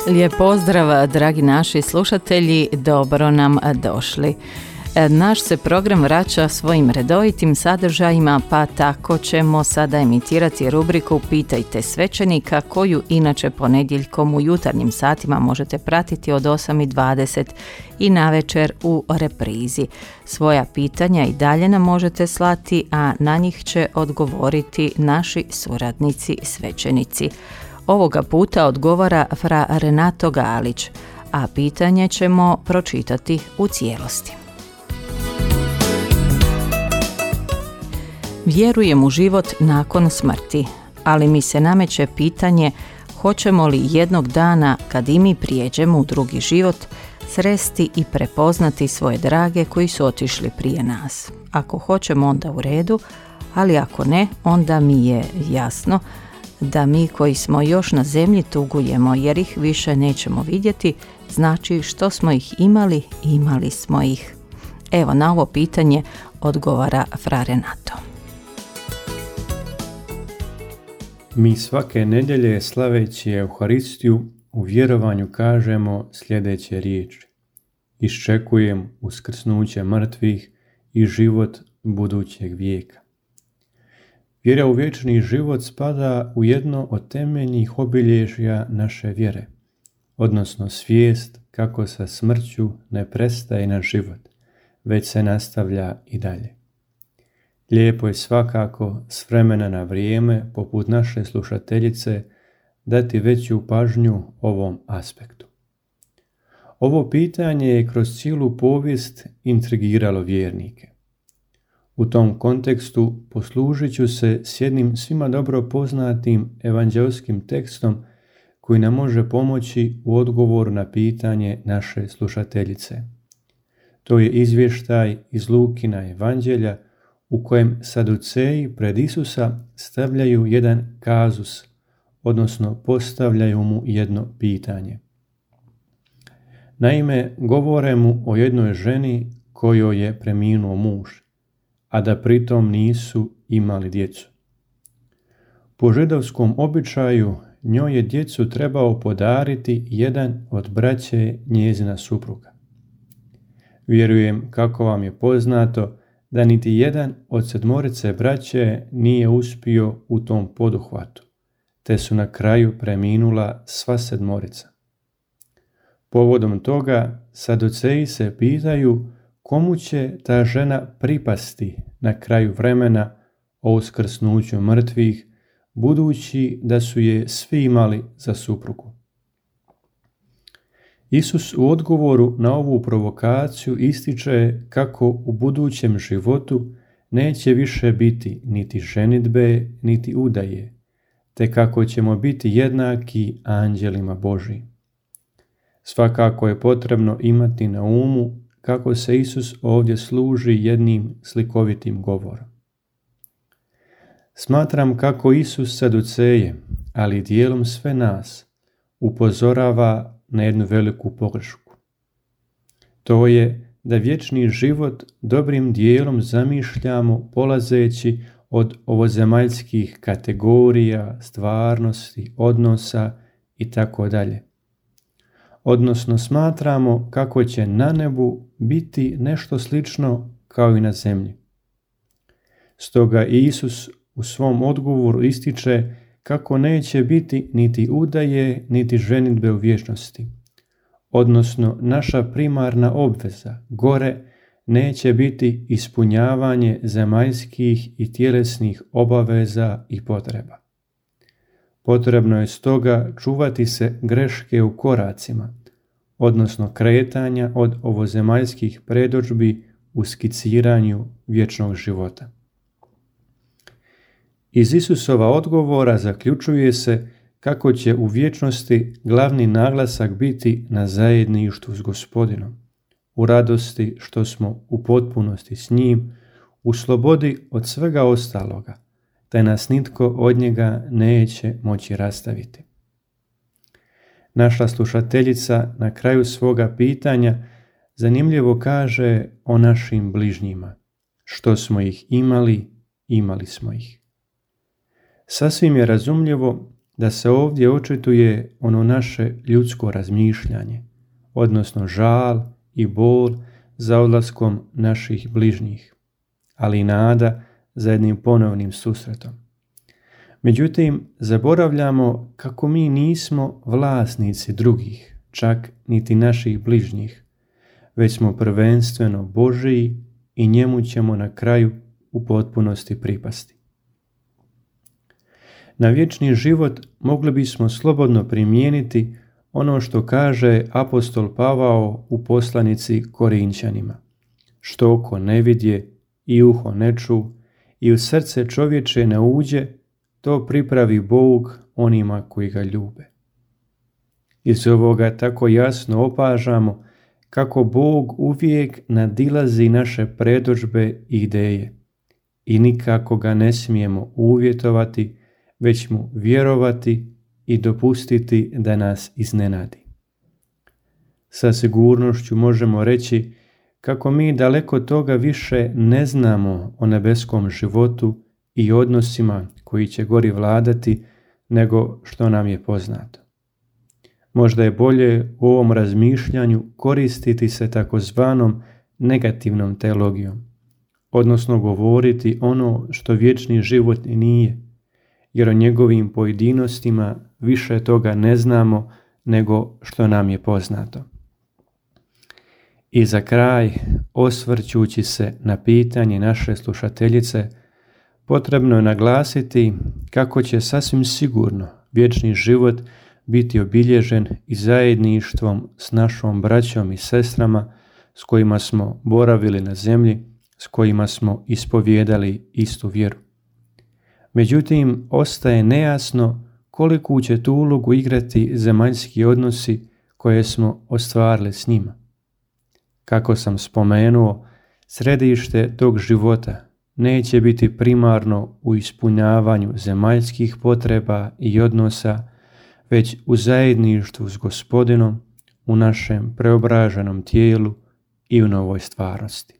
Lijep pozdrav, dragi naši slušatelji, dobro nam došli. Naš se program vraća svojim redovitim sadržajima, pa tako ćemo sada emitirati rubriku Pitajte svećenika, koju inače ponedjeljkom u jutarnjim satima možete pratiti od 8:20 i navečer u reprizi. Svoja pitanja i dalje nam možete slati, a na njih će odgovoriti naši suradnici svećenici. Ovoga puta odgovara fra Renato Galić, a pitanje ćemo pročitati u cijelosti. Vjerujem u život nakon smrti, ali mi se nameće pitanje hoćemo li jednog dana, kad i mi prijeđemo u drugi život, sresti i prepoznati svoje drage koji su otišli prije nas. Ako hoćemo, onda u redu, ali ako ne, onda mi je jasno da mi koji smo još na zemlji tugujemo jer ih više nećemo vidjeti, znači što smo ih imali, imali smo ih. Evo, na ovo pitanje odgovara fra Renato. Mi svake nedjelje slaveći Euharistiju u vjerovanju kažemo sljedeće riječi: iščekujem uskrsnuće mrtvih i život budućeg vijeka. Vjera u vječni život spada u jedno od temeljnih obilježja naše vjere, odnosno svijest kako sa smrću ne prestaje naš život, već se nastavlja i dalje. Lijepo je svakako s vremena na vrijeme, poput naše slušateljice, dati veću pažnju ovom aspektu. Ovo pitanje je kroz cijelu povijest intrigiralo vjernike. U tom kontekstu poslužit ću se s jednim svima dobro poznatim evanđelskim tekstom koji nam može pomoći u odgovoru na pitanje naše slušateljice. To je izvještaj iz Lukina evanđelja u kojem saduceji pred Isusa stavljaju jedan kazus, odnosno postavljaju mu jedno pitanje. Naime, govore mu o jednoj ženi kojoj je preminuo muž, a da pritom nisu imali djecu. Po židovskom običaju njoj je djecu trebao podariti jedan od braće njezina supruga. Vjerujem, kako vam je poznato, da niti jedan od 7 braće nije uspio u tom poduhvatu, te su na kraju preminula sva 7. Povodom toga saduceji se pitaju komu će ta žena pripasti na kraju vremena o uskrsnuću mrtvih, budući da su je svi imali za suprugu. Isus u odgovoru na ovu provokaciju ističe kako u budućem životu neće više biti niti ženidbe, niti udaje, te kako ćemo biti jednaki anđelima Božjim. Svakako je potrebno imati na umu kako se Isus ovdje služi jednim slikovitim govorom. Smatram kako Isus saduceje, ali dijelom sve nas, upozorava na jednu veliku pogrešku. To je da vječni život dobrim dijelom zamišljamo polazeći od ovozemaljskih kategorija, stvarnosti, odnosa itd. Odnosno smatramo kako će na nebu biti nešto slično kao i na zemlji. Stoga Isus u svom odgovoru ističe kako neće biti niti udaje, niti ženidbe u vječnosti. Odnosno, naša primarna obveza gore neće biti ispunjavanje zemaljskih i tjelesnih obaveza i potreba. Potrebno je stoga čuvati se greške u koracima, odnosno kretanja od ovozemaljskih predodžbi u skiciranju vječnog života. Iz Isusova odgovora zaključuje se kako će u vječnosti glavni naglasak biti na zajedništvu s Gospodinom, u radosti što smo u potpunosti s njim, u slobodi od svega ostaloga, te nas nitko od njega neće moći rastaviti. Naša slušateljica na kraju svoga pitanja zanimljivo kaže o našim bližnjima. Što smo ih imali, imali smo ih. Sasvim je razumljivo da se ovdje očituje ono naše ljudsko razmišljanje, odnosno žal i bol za odlaskom naših bližnjih, ali i nada za jednim ponovnim susretom. Međutim, zaboravljamo kako mi nismo vlasnici drugih, čak niti naših bližnjih, već smo prvenstveno Božiji i njemu ćemo na kraju u potpunosti pripasti. Na vječni život mogli bismo slobodno primijeniti ono što kaže apostol Pavao u poslanici Korinćanima: što oko ne vidje i uho ne ču i u srce čovječe ne uđe, to pripravi Bog onima koji ga ljube. Iz ovoga tako jasno opažamo kako Bog uvijek nadilazi naše predodžbe i ideje i nikako ga ne smijemo uvjetovati, već mu vjerovati i dopustiti da nas iznenadi. Sa sigurnošću možemo reći kako mi daleko toga više ne znamo o nebeskom životu i odnosima koji će gori vladati nego što nam je poznato. Možda je bolje u ovom razmišljanju koristiti se takozvanom negativnom teologijom, odnosno govoriti ono što vječni život nije, jer o njegovim pojedinostima više toga ne znamo nego što nam je poznato. I za kraj, osvrćući se na pitanje naše slušateljice, potrebno je naglasiti kako će sasvim sigurno vječni život biti obilježen i zajedništvom s našom braćom i sestrama s kojima smo boravili na zemlji, s kojima smo ispovijedali istu vjeru. Međutim, ostaje nejasno koliku će tu ulogu igrati zemaljski odnosi koje smo ostvarili s njima. Kako sam spomenuo, središte tog života neće biti primarno u ispunjavanju zemaljskih potreba i odnosa, već u zajedništvu s Gospodinom, u našem preobraženom tijelu i u novoj stvarnosti.